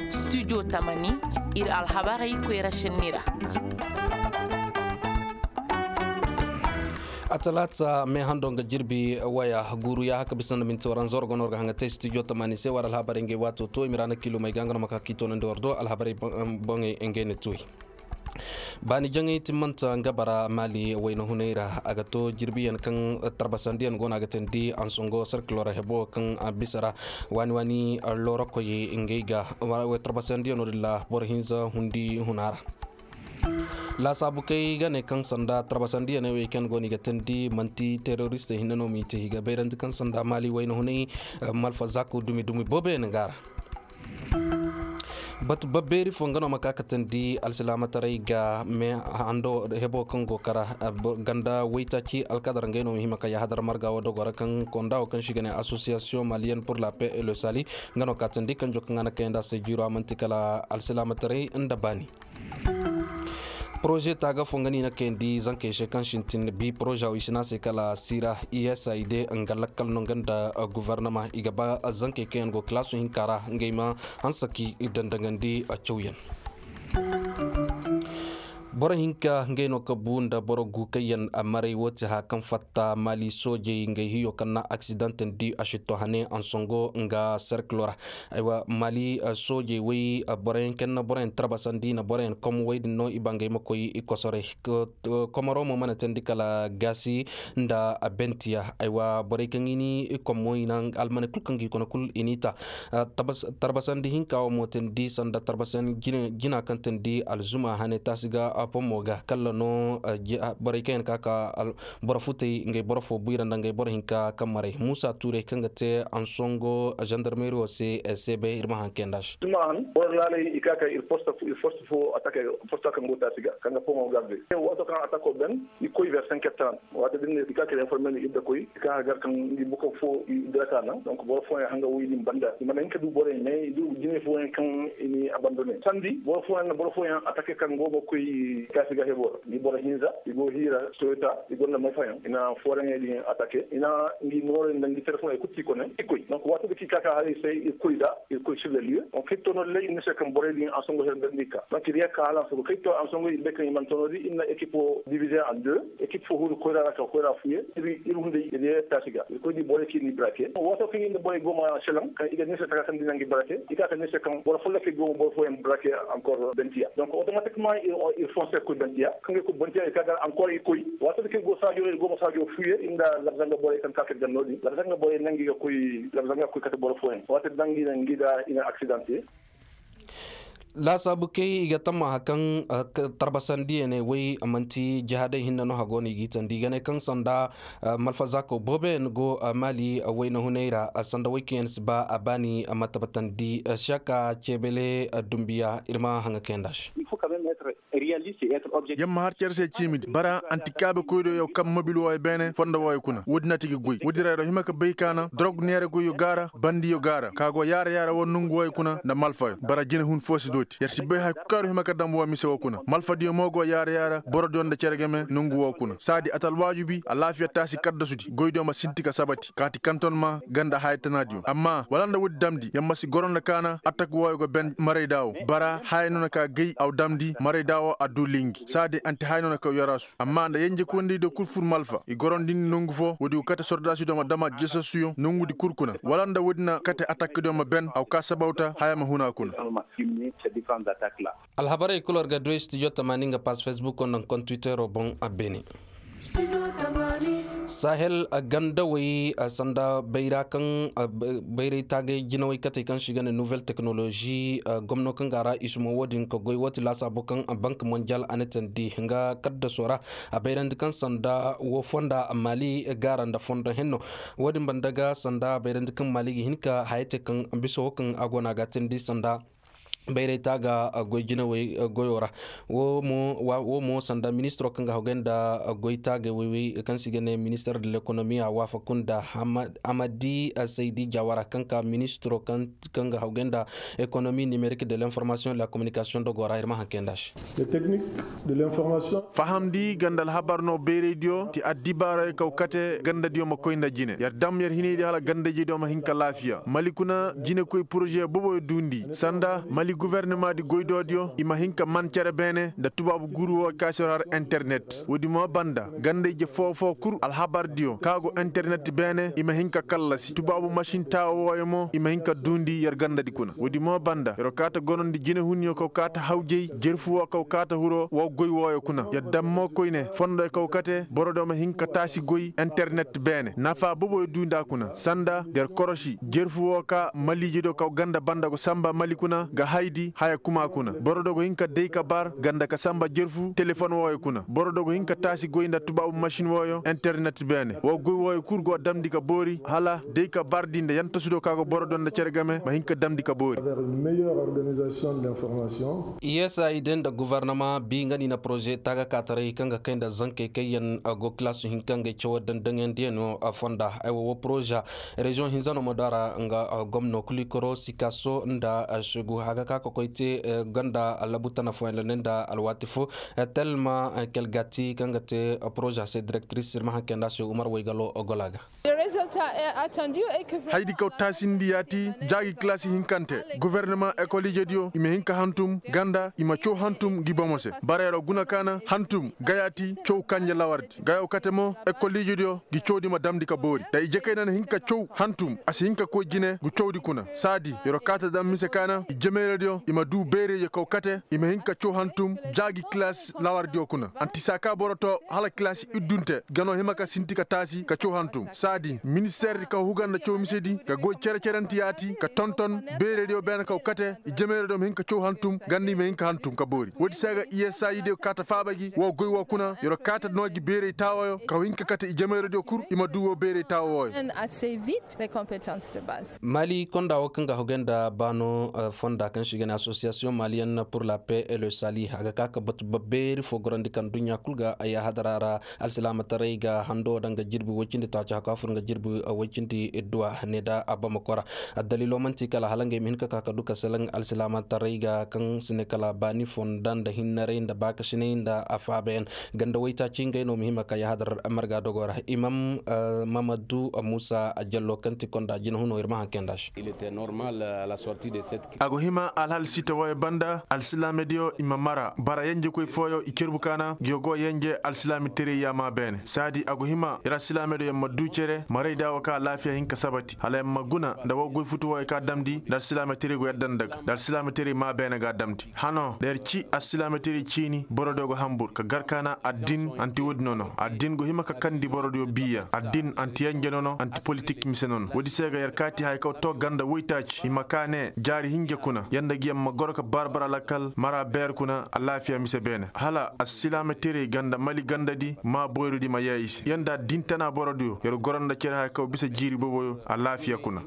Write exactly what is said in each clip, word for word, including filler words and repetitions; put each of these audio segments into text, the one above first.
Studio tamani, ir alhabarey koyra šenni ra. A talaata mee hando nga jirbi waya guuru ya haka bisa nda minti waranza war go no war ga haŋa te studio tamani se war alhabarey ngey waato to i ma ra na kiilumey ga nga no ma ka k'i toonandi war do alhabarey boŋey ngey na tuuy. Baani jaŋay timmanta nga bara maali wayna hunay ra a ga to jirbiyaŋ kaŋ tarbasandiyaŋ go no a ga teendi ansongo sarkilo ra hebo kaŋ bisa ra waani waani loorokoy ngey ga tarbasandiyaŋo din ra boro hinza hundi huna ra. Laasaabu kay ga ne kaŋ sanda tarbasandiyaŋey wey kaŋ go no i ga teendi manti teroristey hinne no m'i te i ga bayrandi kaŋ sanda maali wayna hunay malfa zaako dumi dumi booboyaŋ ga ra. Batu babbeeri fo nga no ma ka katandi alsilaamataray ga me hando hebo kaŋ go kara ganda waytaaci alkadar ngey no ma hima ka yahadar marga wo dogo ra kaŋ konda wo kaŋ si ga ne association malienne pour la paix et le sali nga no katandi kanjo kaŋ a na kayandi a se jiiro a man'ti kala alsilaamataray nda baani. Poroze taaga fo nga no i na kayandi zankey se kaŋ sintin bi poroze wo i si ne a se kala siira i s i d nga lakkal no nga nda gofornama i ga ba zankey kaŋ yaŋ go kalaasu hinka ra ngey ma hanse ka i dandangandi cawyaŋ. Boro hinka ngey no ka bu nda boro gu kaŋ yaŋ maray wo ti haya kaŋ fatta maali soojey ngey hiyo kaŋ na aksidantandi a si to hane ansongo nga serkilo ra. Aywa maali soojey wey boroyaŋ kaŋ na boroyaŋ tarbasandi na boroyaŋ kom wey din no i ba ngey ma koy i kosoray. Komoro mo mana teendi kala gaasi nda bentiya aywa borey kaŋ i ni i kom mo i na almaney kul kaŋ ga i kone kul i n'i ta. Tarbasandi hinka wo mo teendi sanda tarbasandi jina kaŋ teendi alzuma hane taasi ga pommo ga kalla no. Borey kaŋ yaŋ ka ka boro futey ngey boro fo buyra nda ngey boro hinka kaŋ maray muusa tuurey kaŋ ga te ansongo zandarmeri wo se. Se bay ir ma haŋ kay nda se. Boro laaley i ka ka ir posta fo atake posta kaŋ go taasi ga kaŋ ga pomo garde waato kaŋ atako ben i koy ver cinq heures trente. Waato din ne i ka ka ir informe no ir da koy i ka ka gar kaŋ ngi buka fo i diraka naŋ donc boro fooyaŋ hanga woy din banda i mana hin ka du borey mais i du jine fooyaŋ kaŋ i ni abandone sandi boro fooyaŋ na boro fooyaŋ atake kaŋ go ga koy taasi ga hebo ra ngi boro hinza i go hiira soyota i gonda may fayaŋ i na fooraŋey din atake i na ngi noorey nda ngi telefon ay kul ti kone i koy donc waato da ki ka ka haray se i koy da i koy sur le lieu donc kay tono ley i na se kaŋ borey din ansongo her nda ngi ka donc i riya ka hala ansongo kay to ansongo i bay kaŋ i man tono di i na ekipo divize en deux ekipo fo huru koyra ra ka koyra fuye ir hunday i riya taasi ga i koy di borey ki ni brake waato kaŋ i na borey go ma selaŋ kaŋ i ga ni se taka kaŋ di na ngi brake i ka ka ni se kaŋ boro folloke go ma boro fooyaŋ brake encore bentiya donc automatiquement ir fonse koy bentiya kaŋ ga koy bentiya ir ka gar encore i koy waato da kaŋ ir go saajo ir go ma saajo fuye ir nda labzanga borey kaŋ ka ka ganno din labzanga borey nangi ga koy labzanga koy kate boro fooyaŋ waato da ngi na ngi da i na accidente. Laasaabu kay i ga tammaha kaŋ tarbasandiyaney wey manti jihaadey hinne no hago no i g'i tandi i ga ne kaŋ sanda malfazaako booboyaŋ go maali wayna hunay ra sanda wey kaŋ yaŋ si ba a baani ma tabbatandi seka ceebele dumbiya ir ma haŋa kayanda se. Yamma har care se ciimidi bara antikaabe koydo yaw kaŋ mobil wooyo beene fondo wooyo kuna woodin na ti ga goy woodin ra yer wa hima ka bay ka na dorog neera goyyo gaara bandiyo gaara ka go yaara yaara woo nongu wooyo kuna nda malfayo bara jinehun foo si dooti yer si bay haya kul kaŋ yer wa hima ka dam woo mise woo kuna malfadiyo mo go yaara yaara borodiyo nda cere game nongu woo kuna saadi a ti alwaajubi alaafiya taasi kaddasudi goydiyo ma sinti ka sabati kaati kantonma ganda haya tanaadiyo amma wala nda woodi damndi yer ma si goro nda ka na atak wooyo go ben marayda woo bara haya no na ka gay aw damndi marayda woo a duu lingi saadi anti haya no na ka yaraasu amma nda yenjekoyndiydiyo kul fur malfa i gorondindi nongu foo woodi go kate sordaasidiyo ma dam a jesasuyo nongudi kul kuna wala nda woodi na kate atakdiyo ma ben aw ka sabawta haya ma hun a kuna. Alhabarey kul war ga du studio tamaani nga pass facebook nda nga kontiwitero boŋ a beene. Sahel gandawey sanda bayra kaŋ bayray taagay jinawey katey kaŋ se i ga ne nouvelle technologie gomno kaŋ ga a ra i suma wo-din ka goy wo ti laasaabo kaŋ bank mondial a na teendi nga kaddaso ra a bayrandi kaŋ sanda wo fonda maali gaara nda fondo henno. Wo-din banda ga sanda a bayrandi kaŋ maali ga hin ka haya te kaŋ bisa wo kaŋ a go no a ga a teendi sanda Bayray taaga goy jinawey goyo ra. Wo mo sanda ministiro kaŋ ga hagay nda goy taagey woy-woy kaŋ se i ga ne minister de lekonomi a waafaku nda amadi saydi jawara kaŋ ka ministiro kaŋ ga hagay nda ekonomi nimerik de l'information de la kominikasiyoŋ dogo ra ir ma haŋ kay nda se. Fahamndi ganda alhabar no bayraydiyo ti addibaarey kaw kate gandadiyo ma koy nda jine yer dam yer hinaydi hala gandajediyo ma hin ka laafiya mali kuna jinekoy poroze boboyo duundi sanda mali gofornamaadi goydoodiyo i ma hin ka man cere beene nda tubaabu guuru woo kaŋ se war har internet woodi mo banda ganda ije foo-foo kul alhabardiyo kaŋ a go internet beene i ma hin ka kallasi tubaabu masin taawo wooyo mo i ma hin ka duundi yer gandadi kuna woodi mo banda yer wo kaata gonondi jinehunyo kaw kaata hawjay jerfu woo kaw kaata hiro woo goy wooyo kuna yer dam mo koyne fondoyo kaw kate borodiyo ma hin ka taasi goy internet beene nafa boboyo duundi a kuna sanda der korosi jerfu woo ka maliijediyo kaw ganda banda go samba mali kuna ga haydi haya kuma kuna borodiyo go hin ka day ka bar ganda ka samba jerfu telefon wooyo kuna borodiyo go hin ka taasi goy nda tubaabu masin wooyo internet beene woo goy wooyo kul go damndi ka boori hala day ka bardi nda yantasudiyo ka go borodiyo nda cere game ma hin ka damndi ka boori. Yesa i day nda gofornama bi nga ni na poroze taaga kaataray kaŋ ga kay nda zankey kaŋ yaŋ go kilaasu hinka ngey cawo daŋ daŋyandiyano fonda aywa woo poroze reziyoŋ hinza no ma du a ra nga gomno kulikoro sikaso nda segu a ga ka ka koy te gonda labu tana fooyaŋ ra ne nda alwaati fo telma kelgati kaŋ ga te poroze se direktiris ir ma haŋ kay nda se umar waygalo gola ga. Haydi kaw taasindi yaati jaagi kilaasi hinkante gofornama ekol ijediyo i ma hin ka hantum ganda i ma caw hantum ngi bomo se bara yer wo guna kaana hantum ga yaati caw kanje lawardi ga yaw kate mo ekol ijediyo ngi cawdi ma damndi ka boori da ije kayna na hin ka caw hantum a si hin ka koy jine ngu cawdi kuna saadi yer wo kaata dam mise kaana ijemeeradiyo i ma duu beeraydiyo kaw kate i ma hin ka caw hantum jaagi kilaasi lawardiyo kuna anti saa ka boro too hala kilaasi iddunte ga no hima ka sinti ka taasi ka caw hantum saadi ministeerdi kaw huga nda caw misedi ga goy cere-ceranti yaati ka tonton beeraydiyo beene kaw kate ijemeeradiyo ma hin ka caw hantum ganda i ma hin ka hantum ka boori woodi se ga iyesaayidiyo kaata faaba gi woo goy woo kuna yer wo kaata noo gi beeray taawooyo kaw hin ka kate ijemeeradiyo kul i ma duu woo beeray taawooyo. Mali konda woo kaŋ ga hogay nda baano fonda kaŋ se i ga ne asosiyasiyoŋ maliyen pur la pe e le sali a ga ka ka batu babbeeri foo gorandi kaŋ duɲɲa kul ga ay a hadara ra alsilaamataray ga hando daŋ ga jirbi woy cindi taaci haka fur nga jirbi woy cindi idduwa ne da abamako ra. Addaliilo man'ti kala hala ngey ma hin ka ka ka du ka selaŋ alsilaamataray ga kaŋ si ne kala baani fonda nda hinnaray nda baakasinay nda afaabayaŋ ganda woy taaci ngey no ma hima ka yahadar marga dogo ra imam mamadu muusa jallo kaŋ ti konda jina huno ir ma haŋ kay nda se. A go hima alhal sita wooyo banda alsilaamediyo i ma mara bara yenjekoy fooyo i cerbu kaana ngiyo go yenje alsilaamiteray yaama beene saadi a go hima ir alsilaamediyo yaŋ ma duu cere marayda woo kaŋ alaafiya hin ka sabati hala yaŋ ma guna nda woo goy futu wooyo kaŋ a damndi nda alsilaamiteray go yadda nda ga nda alsilaamiteray maa beene ga a damndi hano nda yer ci alsilaamiteray ciini borodiyo go hanbur ka gar kaana addin anti woodi nono addin go hima ka kandi borodiyo biiya addin anti yenje nono anti politik mise nono woodi se ga yer kaati haya kaw too ganda woytaaci i ma kaa ne jaari hinja kuna yanda gi yer ma goro ka bar-bar alakal mara beer kuna alaafiya mise beene hala alsilaama teray ganda mali gandadi maa boyridi ma yee i se yanda din tana borodiyo yer goro nda cere haya kaw bisa jiiri boboyo alaafiya kuna.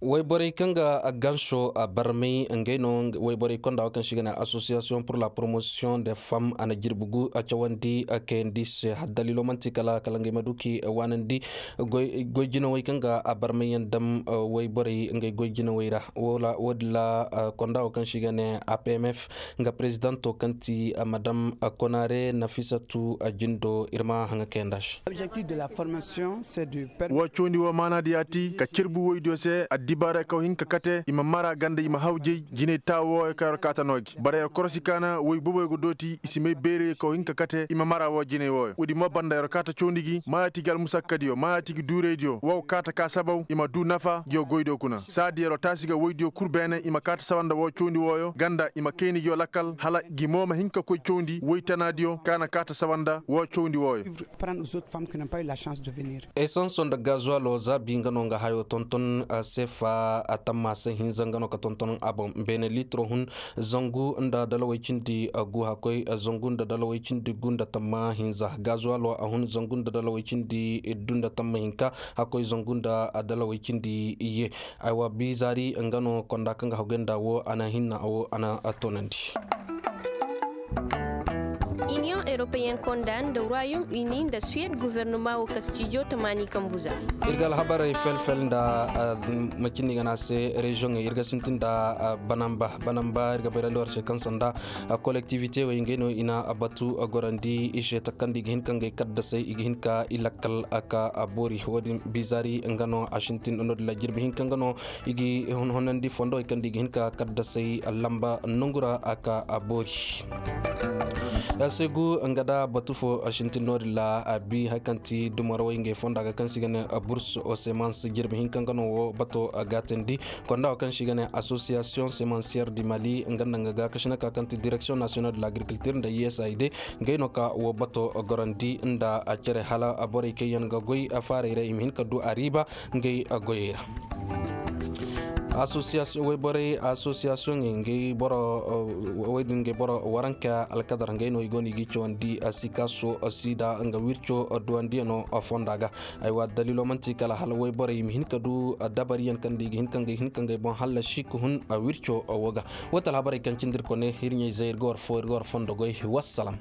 Wayborey kaŋ ga ganso barmay ngey no wayborey konda wo kaŋ se i ga ne association pour la promotion de femme a na jirbi gu cawandi kayandi se daliilo man'ti kala kala ngey ma du k'i waanandi goy jinawey kaŋ ga barmay yaŋ dam wayborey ngey goy jinawey ra wo- din ra konda wo kaŋ se i ga ne apmf nga prezidanto kaŋ ti madam konare nafisatu jindo ir ma haŋa kayandi a se. Woo cawndi woo maanaadi yaati ka cerbu woydiyo se addibaarey kaŋ hin ka kate i ma mara ganda i ma hawjay jinay taawo wooyo kaŋ yer kaata no gi bara yer korosi kaana woy boboyo ga dooti i si may beerey kaŋ hin ka kate i ma mara woo jinay wooyo woodi mo banda yer kaata cawndi gi maayaati gi almusakkadiyo maayaati gi duuraydiyo woo kaata ka sabaw i ma duu nafa ngiyo goydiyo kuna saadi yer taasi ga woydiyo kul beene i ma kaata sawa nda woo cawndi wooyo ganda i ma kayna ngiyo lakkal hala ngi mo ma hin ka koy cawndi woy tanaadiyo kaŋ a na kaata sawa nda woo cawndi wooyo. Esanso nda gazuwalo zaabi nga no nga hayo tonton sefa a tamma se hinza nga no ka tonton a boŋ beene litiro hun zangu nda dalawey cindi gu hakkoy zangu nda dalawey cindi gu nda tamma hinza gazuwalo a hun zangu nda dalawey cindi iddu nda tamma hinka hakkoy zangu nda dalawey cindi iyye. Aywa. Zaari nga no konda kaŋ ga haguy nda wo a na hinna wo a na tonandi. Iniyoŋ eropeyen konda nda royaume uni nda suwed guvernoma wo kastijo tamaani kambuza. Ir ga alhabarey fel-fel nda macindi ga na se reziyoŋey ir ga sintin nda banamba banamba ir ga bayrandi war se kaŋ sanda kolektivite wey ngey no i na batu gorandi i se takandi i ga hin ka ngey kaddasey i ga hin ka i lakkal ka boori wo- din bizari nga no a sintin no- din la jirbi hin ka nga no i ga honandi fondo wey kaŋ da i ga hin ka kaddasey lamba nongu ra a ka boori. Segu nga da batu fo sintin no- din la a bi hari kaŋ ti dumarawey ngey fonda ga kaŋ se i ga ne burse o semans jirbi hin ka nga no wo bato gaatandi konda wo kaŋ se i ga ne association semansiyer di mali nga nda nga ga kasinaka kaŋ ti direksiyoŋ nasiyonal de l'agriculture nda usaid. Ngey no ka wo bato gorandi nda cere hala borey kaŋ yaŋ ga goy faarey ra i ma hin ka du a riiba ngey goyey ra. Association wayborey association ngey boro woy din ngey boro waranka alkadar ngey no i go no i ga i cawandi sikaso sida nga wirco duwandiyano fonda ga. Aywa dalilo manti kala hala wayborey i ma hin ka du dabariyaŋ kaŋ da i ga hin ka ngey boŋ hallasi ka hun wirco wo ga. Wo ti alhabarey kaŋ cindi ir kone ir ɲey zay ir ga war fo ir ga war fondo goy. Wassalam.